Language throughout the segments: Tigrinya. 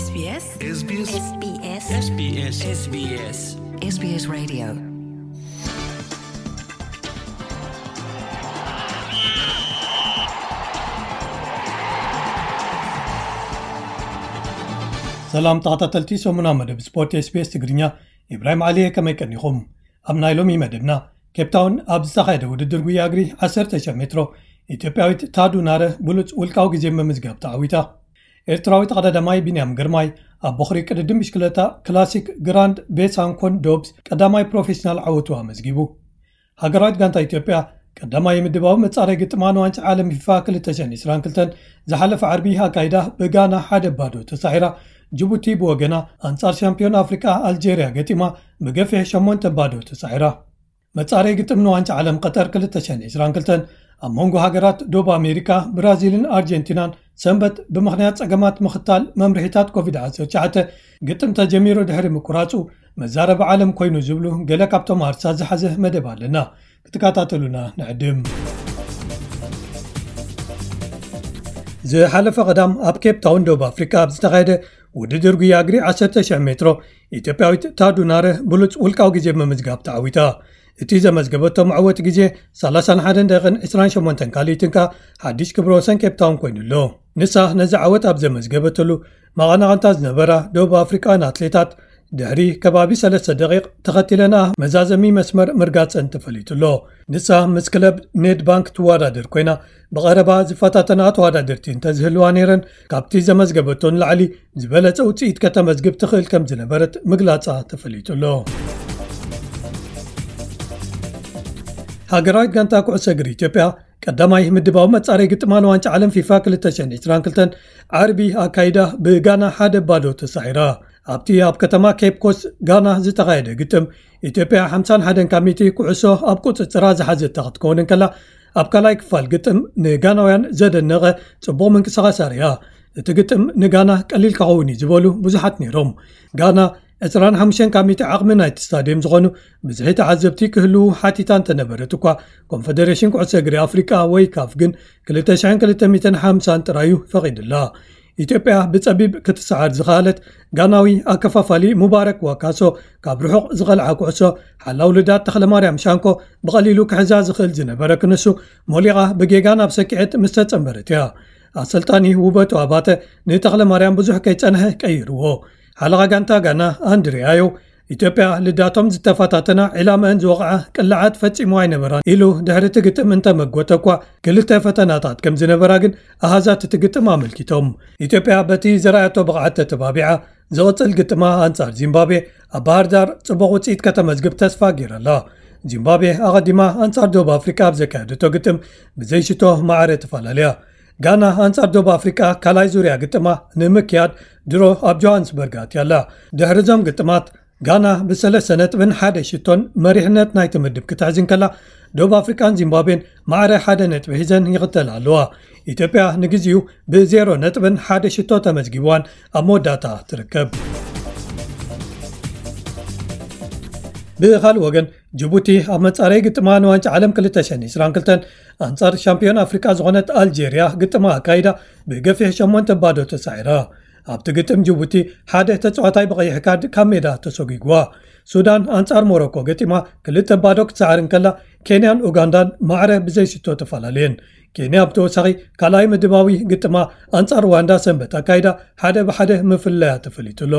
SBS SBS SBS SBS SBS SBS Radio. ሰላም ተኸታተልቲ ሰሙና መደብ ስፖርት SBS ትግርኛ፣ ኢብራሂም ዓሊ እየ። ከመይ ቀኒኹም? ኣብ ናይ ሎሚ መደብና፣ ኬፕታውን ኣብ ዝተኻየደ ውድድር ጉያ እግሪ ዓሰርተ ሺሕ ሜትሮ፣ ኢትዮጵያዊት ታዱ ናረ ብሉጽ ውልቃዊ ግዜ ምምዝጋብ ተዓዊታ። ኤርትራዊ ተቐዳዳማይ ቢንያም ግርማይ ኣብ ቦኽሪ ቅድድም ብሽክለታ ክላሲክ ግራንድ ቤሳንኮን ዶብስ ቀዳማይ ፕሮፌሽናል ዓወቱ ኣመዝጊቡ። ሃገራዊት ጋንታ ኢትዮጵያ ቀዳማይ ምድባዊ መጻረይ ግጥማ ንዋንጫ ዓለም ፊፋ ክልተ ሽሕን ዕስራን ክልተን ዝሓለፈ ዓርቢ ኣካይዳ ብጋና ሓደ ባዶ ተሳዒራ። ጅቡቲ ብወገና ኣንጻር ሻምፒዮን ኣፍሪቃ ኣልጄርያ ገጢማ ብገፊሕ ሸሞንተ ባዶ ተሳዒራ። መጻረይ ግጥም ንዋንጫ ዓለም ቀጠር ክልተ ሽሕን ዕስራን ክልተን ኣብ መንጎ ሃገራት ዶብ ኣሜሪካ፣ ብራዚልን ኣርጀንቲናን ሰንበት ብምኽንያት ጸገማት ምኽታል መምርሒታት ኮቪድ ዓሰርተ ትሽዓተ ግጥም ተጀሚሩ ድሕሪ ምቁራጹ መዛረቢ ዓለም ኮይኑ ዝብሉ ገለ ካብቶም ኣርሳ ዝሓዘ መደብ ኣለና። ክትከታተሉና ንዕድም። ዝሓለፈ ቀዳም ኣብ ኬፕ ታውን ደቡብ ኣፍሪካ ኣብ ዝተኻየደ ውድድር ጉያ እግሪ ዓሰርተ ሺሕ ሜትሮ፣ ኢትዮጵያዊት ታዱ ናረ ብሉጽ ውልቃዊ ግዜ ብምምዝጋብ ተዓዊታ። እቲ ዘመዝገበቶ መዕወቲ ግዜ ሰላሳን ሓደን ደቂቕን ዕስራን ሸሞንተን ካልኢትን ከኣ ሓድሽ ክብረ ወሰን ኬፕ ታውን ኮይኑ ኣሎ። ንሳ ነዚ ዓወት ኣብ ዘመዝገበትሉ መቐናቕንታ ዝነበራ ደቡብ ኣፍሪቃውያን ኣትሌታት ድሕሪ ከባቢ ሰለስተ ደቂቕ ተኸቲለንኣ መዛዘሚ መስመር ምርጋጸን ተፈሊጡ ኣሎ። ንሳ ምስ ክለብ ኔድባንክ ትወዳደር ኮይና፣ ብቐረባ ዝፈታተና ተወዳደርቲ እንተዝህልዋ ነይረን፣ ካብቲ ዘመዝገበቶ ንላዕሊ ዝበለጸ ውጽኢት ከተመዝግብ ትኽእል ከም ዝነበረት ምግላጻ ተፈሊጡ ኣሎ። ሃገራዊት ጋንታ ኩዕሶ እግሪ ኢትዮጵያ ቀዳማይ ምድባዊ መጻረይ ግጥማ ንዋንጫ ዓለም ፊፋ ክልተ ሽሕን ዕስራን ክልተን ዓርቢ ኣካይዳ ብጋና ሓደ ባዶ ተሳዒራ። ኣብቲ ኣብ ከተማ ኬፕ ኮስት ጋና ዝተኻየደ ግጥም፣ ኢትዮጵያ ሓምሳን ሓደን ካብ ሚእቲ ኩዕሶ ኣብ ቁጽጽራ ዝሓዘታ ክትከውን እንከላ፣ ኣብ ካልኣይ ክፋል ግጥም ንጋናውያን ዘደነቐ ጽቡቕ ምንቅስቓስ ኣርእያ። እቲ ግጥም ንጋና ቀሊል ክኸውን እዩ ዝበሉ ብዙሓት ነይሮም። ጋና ዕስራን ሓሙሽተን ካብ ሚእቲ ዓቕሚ ናይቲ ስታድየም ዝኾኑ ብዝሒ ተዓዘብቲ ክህልዉ ሓቲታ እንተነበረት እኳ፣ ኮንፈደሬሽን ኩዕሶ እግሪ ኣፍሪቃ ወይ ካፍ ግን ክልተ ሽሕን ክልተ ሚእትን ሓምሳን ጥራዩ ፈቒድላ። ኢትዮጵያ ብጸቢብ ክትሰዓር ዝኸኣለት፣ ጋናዊ ኣከፋፋሊ ሙባረክ ዋካሶ ካብ ርሑቕ ዝቐልዓ ኩዕሶ ሓላው ልዳት ተኽለማርያም ሻንኮ ብቐሊሉ ክሕዛ ዝኽእል ዝነበረ ክንሱ ሞሊቓ ብጌጋ ናብ ሰኪዐት ምስ ተጸንበረት እያ። ኣሰልጣኒ ውበቱ ኣባተ ንተኽለማርያም ብዙሕ ከይጸንሐ ቀይርዎ። ሓለቓ ጋንታ ጋና ኣንድሪ ኣዮ፣ ኢትዮጵያ ልዳቶም ዝተፈታተና፣ ዕላመአን ዝወቕዓ ቅላዓት ፈጺሙ ኣይነበራን ኢሉ ድሕሪ እቲ ግጥም እንተመጎተ እኳ፣ ክልተ ፈተናታት ከም ዝነበራ ግን ኣሃዛት እቲ ግጥም ኣመልኪቶም። ኢትዮጵያ በቲ ዘርኣያቶ ብቕዓት ተተባቢዓ፣ ዝቕጽል ግጥማ ኣንጻር ዚምባብዌ ኣብ ባህር ዳር ጽቡቕ ውጽኢት ከተመዝግብ ተስፋ ገይራ ኣላ። ዚምባብዌ ኣቐዲማ ኣንጻር ደቡብ ኣፍሪቃ ኣብ ዘካየደቶ ግጥም ብዘይሽቶ ማዕረ ተፈላለያ። ጋና ኣንጻር ደቡብ ኣፍሪቃ ካልኣይ ዙርያ ግጥማ ንምክያድ ድሮ ኣብ ጆሃንስበርግ ኣትያ ኣላ። ድሕሪ እዞም ግጥማት፣ ጋና ብሰለስተ ነጥብን ሓደ ሽቶን መሪሕነት ናይቲ ምድብ ክትሕዝ እንከላ፣ ደቡብ ኣፍሪቃን ዚምባብዌን ማዕረ ሓደ ነጥቢ ሒዘን ይኽተላ ኣለዋ። ኢትዮጵያ ንግዜኡ ብዜሮ ነጥብን ሓደ ሽቶ ተመዝጊብዋን ኣብ መወዳእታ ትርከብ። ብኻልእ ወገን፣ ጅቡቲ ኣብ መጻረይ ግጥማ ንዋንጫ ዓለም ክልተ ሽሕን ዕስራን ክልተን ኣንጻር ሻምፒዮን ኣፍሪቃ ዝኾነት ኣልጄርያ ግጥማ ኣካይዳ ብገፊሕ ሸሞንተ ባዶ ተሳዒራ። ኣብቲ ግጥም ጅቡቲ ሓደ ተጻዋታይ ብቐይሕ ካርድ ካብ ሜዳ ተሰጒግዋ። ሱዳን ኣንጻር ሞሮኮ ገጢማ ክልተ ባዶ ክትሰዓር እንከላ፣ ኬንያን ኡጋንዳን ማዕረ ብዘይሽቶ ተፈላለየን። ኬንያ ብተወሳኺ ካልኣይ ምድባዊ ግጥማ ኣንጻር ሩዋንዳ ሰንበት ኣካይዳ ሓደ ብሓደ ምፍለያ ተፈሊጡ ኣሎ።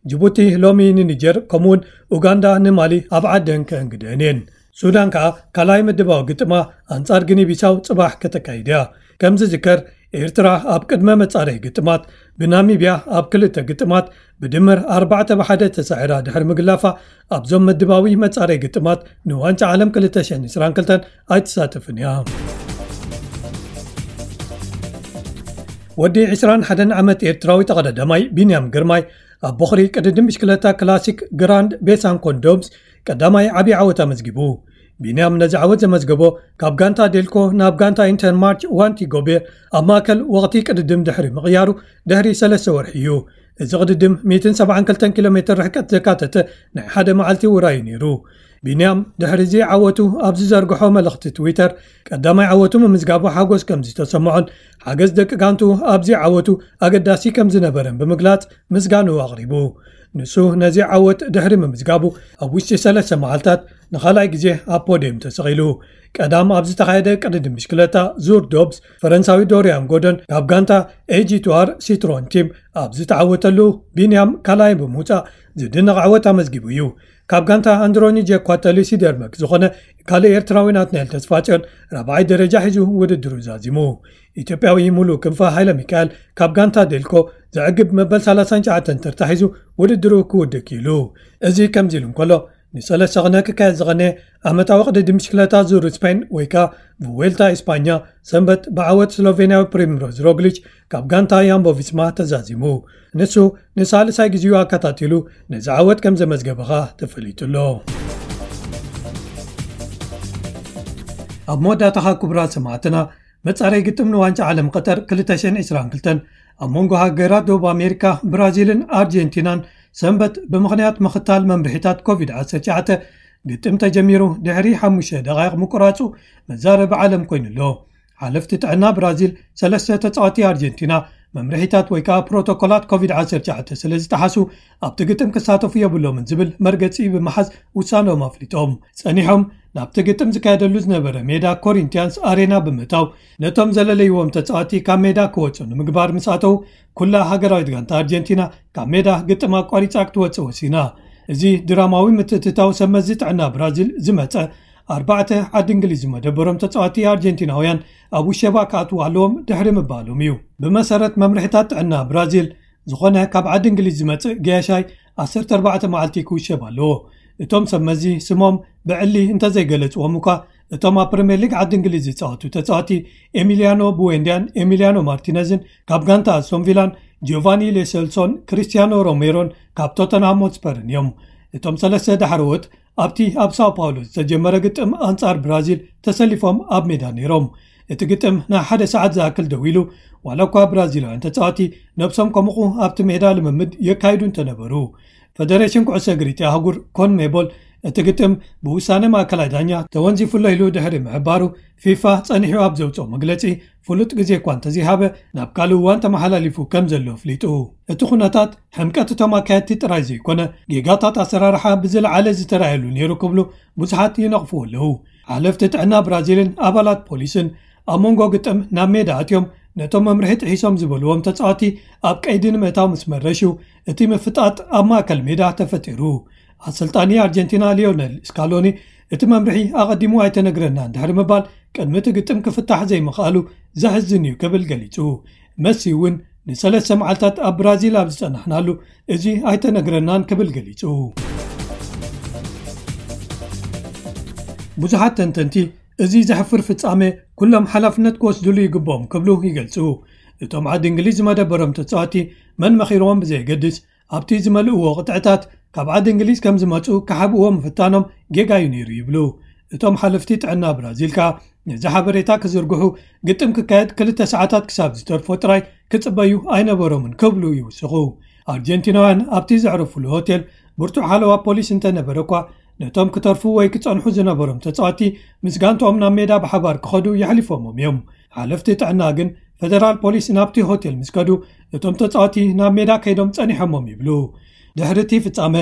ጅቡቲ ሎሚ ንኒጀር፣ ከምኡውን ኡጋንዳ ንማሊ ኣብ ዓደን ከእንግደን እየን። ሱዳን ከኣ ካልኣይ ምድባዊ ግጥማ ኣንጻር ግኒ ቢሳው ጽባሕ ከተካይድ እያ። ከም ዝዝከር፣ ኤርትራ ኣብ ቅድመ መጻረይ ግጥማት ብናሚብያ ኣብ ክልተ ግጥማት ብድምር ኣርባዕተ ብሓደ ተሳዒራ ድሕሪ ምግላፋ፣ ኣብዞም ምድባዊ መጻረይ ግጥማት ንዋንጫ ዓለም ክልተ ሽሕን ዕስራን ክልተን ኣይትሳተፍን እያ። ወዲ ዕስራን ሓደን ዓመት ኤርትራዊ ተቐዳዳማይ ቢንያም ግርማይ ኣብ ቦኽሪ ቅድድም ብሽክለታ ክላሲክ ግራንድ ቤሳንኮን ዶብስ ቀዳማይ ዓቢ ዓወት ኣመዝጊቡ። ቢንያም ነዚ ዓወት ዘመዝገቦ ካብ ጋንታ ዴልኮ ናብ ጋንታ ኢንተርማርች ዋንቲ ጎቤ ኣብ ማእከል ወቕቲ ቅድድም ድሕሪ ምቕያሩ ድሕሪ ሰለስተ ወርሒ እዩ። እዚ ቅድድም ሚእትን ሰብዓን ክልተን ኪሎ ሜትር ርሕቀት ዘካተተ ናይ ሓደ መዓልቲ ውራይ እዩ ነይሩ። ቢንያም ድሕሪ እዚ ዓወቱ ኣብ ዝዘርግሖ መልእኽቲ ትዊተር፣ ቀዳማይ ዓወቱ ምምዝጋቡ ሓጎስ ከም ዝተሰምዖን ሓገዝ ደቂ ጋንቱ ኣብዚ ዓወቱ ኣገዳሲ ከም ዝነበረን ብምግላጽ ምስጋኑ ኣቕሪቡ። ንሱ ነዚ ዓወት ድሕሪ ምምዝጋቡ ኣብ ውሽጢ ሰለስተ መዓልታት ንኻልኣይ ግዜ ኣብ ፖድየም ተሰቒሉ። ቀዳም ኣብ ዝተኻየደ ቅድድም ብሽክለታ ዙር ዶብስ፣ ፈረንሳዊ ዶሪያን ጎርዶን ካብ ጋንታ ኤጂ ቱ ኣር ሲትሮን ቲም ኣብ ዝተዓወተሉ፣ ቢንያም ካልኣይ ብምውጻእ ዝድነቕ ዓወት ኣመዝጊቡ እዩ። ካብ ጋንታ ኣንድሮኒ ጀኳተሊ ሲደርመክ ዝኾነ ካልእ ኤርትራዊ ናትናኤል ተስፋጽዮን ራብዓይ ደረጃ ሒዙ ውድድሩ ዛዚሙ። ኢትዮጵያዊ ሙሉ ክንፈ ሃይለ ሚካኤል ካብ ጋንታ ዴልኮ ዘዕግብ መበል ሰላሳን ትሽዓተን ተርታ ሒዙ ውድድሩ ክውድእ ክኢሉ። እዚ ከምዚ ኢሉ እንከሎ፣ ንሰለስተ ቅነ ክካየድ ዝቐነ ዓመታዊ ቅድድም ብሽክለታ ዙር ስፔን ወይ ከኣ ቭዌልታ ኢስፓኛ ሰንበት ብዓወት ስሎቬንያዊ ፕሪምሮዝ ሮግሊች ካብ ጋንታ ያምቦ ቪስማ ተዛዚሙ። ንሱ ንሳልሳይ ግዜኡ ኣከታቲሉ ነዚ ዓወት ከም ዘመዝገበ ኸኣ ተፈሊጡ ኣሎ። ኣብ መወዳእታኻ ክቡራት ሰማዕትና፣ መጻረይ ግጥም ንዋንጫ ዓለም ቀጠር ክልተ ሽሕን ዕስራን ክልተን ኣብ መንጎ ሃገራት ደቡብ ኣሜሪካ ብራዚልን ኣርጀንቲናን ሰንበት ብምኽንያት ምኽታል መምርሒታት ኮቪድ ዓሰርተ ትሽዓተ ግጥም ተጀሚሩ ድሕሪ ሓሙሽተ ደቓይቕ ምቁራጹ መዛረቢ ዓለም ኮይኑ ኣሎ። ሓለፍቲ ጥዕና ብራዚል ሰለስተ ተጻወቲ ኣርጀንቲና መምርሒታት ወይ ከኣ ፕሮቶኮላት ኮቪድ ዓሰርተ ትሽዓተ ስለ ዝጠሓሱ ኣብቲ ግጥም ክሳተፉ የብሎምን ዝብል መርገጺ ብምሓዝ ውሳነኦም ኣፍሊጦም። ጸኒሖም ናብቲ ግጥም ዝካየደሉ ዝነበረ ሜዳ ኮሪንቲያንስ ኣሬና ብምእታው ነቶም ዘለለይዎም ተጻወቲ ካብ ሜዳ ክወጹ ንምግባር ምስ ኣተው ኩላ ሃገራዊት ጋንታ ኣርጀንቲና ካብ ሜዳ ግጥም ኣቋሪጻ ክትወጽእ ወሲና። እዚ ድራማዊ ምትእትታው ሰብ መዚ ጥዕና ብራዚል ዝመጸ ኣርባዕተ ዓዲ እንግሊዝ ዝመደበሮም ተጻወቲ ኣርጀንቲናውያን ኣብ ውሸባ ክኣትዉ ኣለዎም ድሕሪ ምባሎም እዩ። ብመሰረት መምርሒታት ጥዕና ብራዚል፣ ዝኾነ ካብ ዓዲ እንግሊዝ ዝመጽእ ገያሻይ ዓሰርተ ኣርባዕተ መዓልቲ ክውሸብ ኣለዎ። እቶም ሰብ መዚ ስሞም ብዕሊ እንተዘይገለጽዎም እኳ፣ እቶም ኣብ ፕሪምየር ሊግ ዓዲ እንግሊዝ ዝጻወቱ ተጻወቲ ኤሚሊያኖ ቡዌንዲያን ኤሚሊያኖ ማርቲነዝን ካብ ጋንታ ኣስቶን ቪላን፣ ጂዮቫኒ ሌሰልሶን ክሪስቲያኖ ሮሜሮን ካብ ቶተንሃም ሆትስፐርን እዮም። እቶም ሰለስተ ዳሕረዎት ኣብቲ ኣብ ሳኦ ፓውሎ ዝተጀመረ ግጥም ኣንጻር ብራዚል ተሰሊፎም ኣብ ሜዳ ነይሮም። እቲ ግጥም ንሓደ ሰዓት ዝኣክል ደው ኢሉ፣ ዋላ እኳ ብራዚላውያን ተጻወቲ ነብሶም ከሙቑ ኣብቲ ሜዳ ልምምድ የካይዱ እንተነበሩ። ፈደሬሽን ኩዕሶ እግሪ እቲ ኣህጉር ኮንሜቦል እቲ ግጥም ብውሳነ ማእከላይ ዳኛ ተወንዚፉ ኣሎ ኢሉ ድሕሪ ምሕባሩ፣ ፊፋ ጸኒሑ ኣብ ዘውጽኦ መግለጺ፣ ፍሉጥ ግዜ እኳ እንተዘይሃበ፣ ናብ ካልእ እዋን ተመሓላሊፉ ከም ዘሎ ኣፍሊጡ። እቲ ኩነታት ሕምቀት እቶም ኣካየድቲ ጥራይ ዘይኮነ፣ ጌጋታት ኣሰራርሓ ብዝለዓለ ዝተራእየሉ ነይሩ ክብሉ ብዙሓት ይነቕፍዎ ኣለዉ። ሓለፍቲ ጥዕና ብራዚልን ኣባላት ፖሊስን ኣብ መንጎ ግጥም ናብ ሜዳ ኣትዮም ነቶም መምርሒ ጥሒሶም ዝበልዎም ተጻወቲ ኣብ ቀይዲ ንምእታው ምስ መረሹ፣ እቲ ምፍጣጥ ኣብ ማእከል ሜዳ ተፈጢሩ። ኣሰልጣኒ ኣርጀንቲና ሊዮነል ስካሎኒ እቲ መምርሒ ኣቐዲሙ ኣይተነግረናን ድሕሪ ምባል፣ ቅድሚ እቲ ግጥም ክፍታሕ ዘይምኽኣሉ ዘሕዝን እዩ ክብል ገሊጹ። መሲ እውን ንሰለስተ መዓልታት ኣብ ብራዚል ኣብ ዝጸናሕናሉ እዚ ኣይተነግረናን ክብል ገሊጹ። ብዙሓት ተንተንቲ እዚ ዘሕፍር ፍጻሜ ኩሎም ሓላፍነት ክወስድሉ ይግብኦም ክብሉ ይገልጹ። እቶም ዓዲ እንግሊዝ ዝመደበሮም ተጻወቲ መን መኺርዎም ብዘየገድስ፣ ኣብቲ ዝመልእዎ ቅጥዕታት ካብ ዓዲ እንግሊዝ ከም ዝመጹ ክሓብእዎ ምፍታኖም ጌጋ እዩ ነይሩ ይብሉ። እቶም ሓለፍቲ ጥዕና ብራዚል ከኣ ነዚ ሓበሬታ ክዝርግሑ ግጥም ክካየድ ክልተ ሰዓታት ክሳብ ዝተርፎ ጥራይ ክጽበዩ ኣይነበሮምን ክብሉ ይውስኹ። ኣርጀንቲናውያን ኣብቲ ዘዕረፉሉ ሆቴል ብርቱዕ ሓለዋ ፖሊስ እንተነበረ እኳ፣ ነቶም ክተርፉ ወይ ክጸንሑ ዝነበሮም ተጻወቲ ምስ ጋንትኦም ናብ ሜዳ ብሓባር ክኸዱ የሕሊፎሞም እዮም። ሓለፍቲ ጥዕና ግን ፈደራል ፖሊስ ናብቲ ሆቴል ምስ ከዱ፣ እቶም ተጻወቲ ናብ ሜዳ ከይዶም ጸኒሖሞም ይብሉ። ድሕሪ እቲ ፍጻመ፣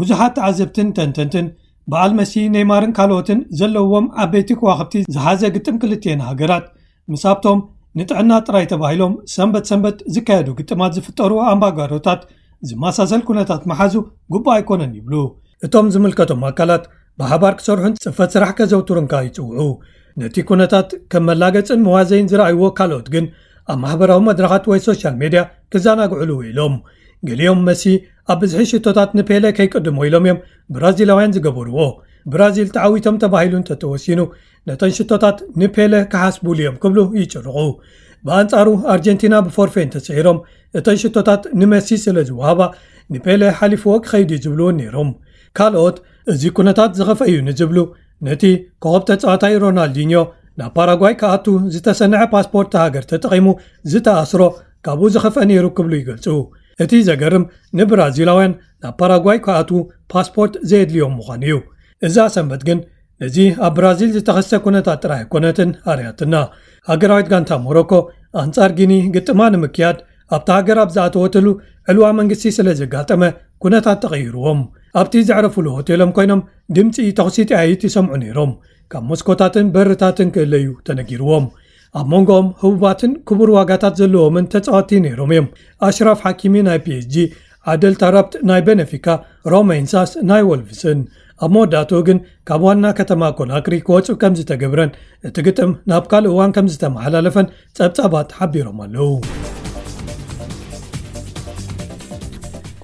ብዙሓት ተዓዘብትን ተንተንትን፣ በዓል መሲ፣ ኔይማርን ካልኦትን ዘለውዎም ዓበይቲ ከዋኽብቲ ዝሓዘ ግጥም ክልቲኤን ሃገራት፣ ምስ ኣብቶም ንጥዕና ጥራይ ተባሂሎም ሰንበት ሰንበት ዝካየዱ ግጥማት ዝፍጠሩ ኣምባጓሮታት ዝመሳሰል ኩነታት ምሓዙ ግቡእ ኣይኮነን ይብሉ። እቶም ዝምልከቶም ኣካላት ብሓባር ክሰርሑን ጽፈት ስራሕ ከዘውትሩን ከኣ ይጽውዑ። ነቲ ኩነታት ከም መላገጽን መዋዘይን ዝረኣይዎ ካልኦት ግን ኣብ ማሕበራዊ መድረኻት ወይ ሶሻል ሜድያ ክዘናግዕሉ ውዒሎም። ገሊኦም መሲ ኣብ ብዝሒ ሽቶታት ንፔለ ከይቅድሞ ኢሎም እዮም ብራዚላውያን ዝገበርዎ። ብራዚል ተዓዊቶም ተባሂሉ እንተተወሲኑ፣ ነተን ሽቶታት ንፔለ ክሓስቡሉ እዮም ክብሉ ይጭርቑ። ብኣንጻሩ ኣርጀንቲና ብፎርፌ እንተስዒሮም፣ እተን ሽቶታት ንመሲ ስለ ዝወሃባ፣ ንፔለ ሓሊፍዎ ክኸይድ እዩ ዝብሉ እውን ነይሮም። ካልኦት፣ እዚ ኩነታት ዝኸፍአ እዩ ንዝብሉ፣ ነቲ ኮኸብ ተጻዋታይ ሮናልዲኞ ናብ ፓራጓይ ክኣቱ ዝተሰንዐ ፓስፖርት ሃገር ተጠቒሙ ዝተኣስሮ ካብኡ ዝኸፍአ ነይሩ ክብሉ ይገልጹ። እቲ ዘገርም፣ ንብራዚላውያን ናብ ፓራጓይ ክኣትዉ ፓስፖርት ዘየድልዮም ምዃኑ እዩ። እዛ ሰንበት ግን ነዚ ኣብ ብራዚል ዝተኸስተ ኩነታት ጥራይ ኣይኮነትን ኣርያትና። ሃገራዊት ጋንታ ሞሮኮ ኣንጻር ጊኒ ግጥማ ንምክያድ ኣብታ ሃገር ኣብ ዝኣተወትሉ ዕልዋ መንግስቲ ስለ ዘጋጠመ ኩነታት ተቐይርዎም ኣብቲ ዘዕረፉሉ ሆቴሎም ኮይኖም ድምፂ ተኹሲ ጠያይት ይሰምዑ ነይሮም። ካብ መስኮታትን በርታትን ክእለዩ ተነጊርዎም። ኣብ መንጎኦም ህቡባትን ክቡር ዋጋታት ዘለዎምን ተፃወቲ ነይሮም እዮም። ኣሽራፍ ሓኪሚ ናይ ፒኤስጂ፣ ዓደል ታራፕት ናይ ቤነፊካ፣ ሮማ ኢንሳስ ናይ ወልቭስን። ኣብ መወዳእትኡ ግን ካብ ዋና ከተማ ኮናክሪ ክወፁ ከም ዝተገብረን እቲ ግጥም ናብ ካልእ እዋን ከም ዝተመሓላለፈን ጸብጻባት ሓቢሮም ኣለዉ።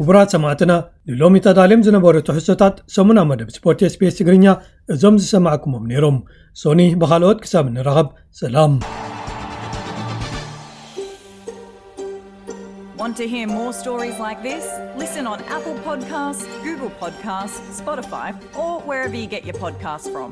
ክቡራት ሰማዕትና፣ ንሎሚ ተዳልዮም ዝነበሩ ትሕዝቶታት ሰሙና መደብ ስፖርት ኤስቢኤስ ትግርኛ እዞም ዝሰማዕኩሞም ነይሮም። ሶኒ ብኻልኦት ክሳብ እንራኸብ ሰላም። Want to hear more stories like this? Listen on Apple Podcasts, Google Podcasts, Spotify, or wherever you get your podcasts from.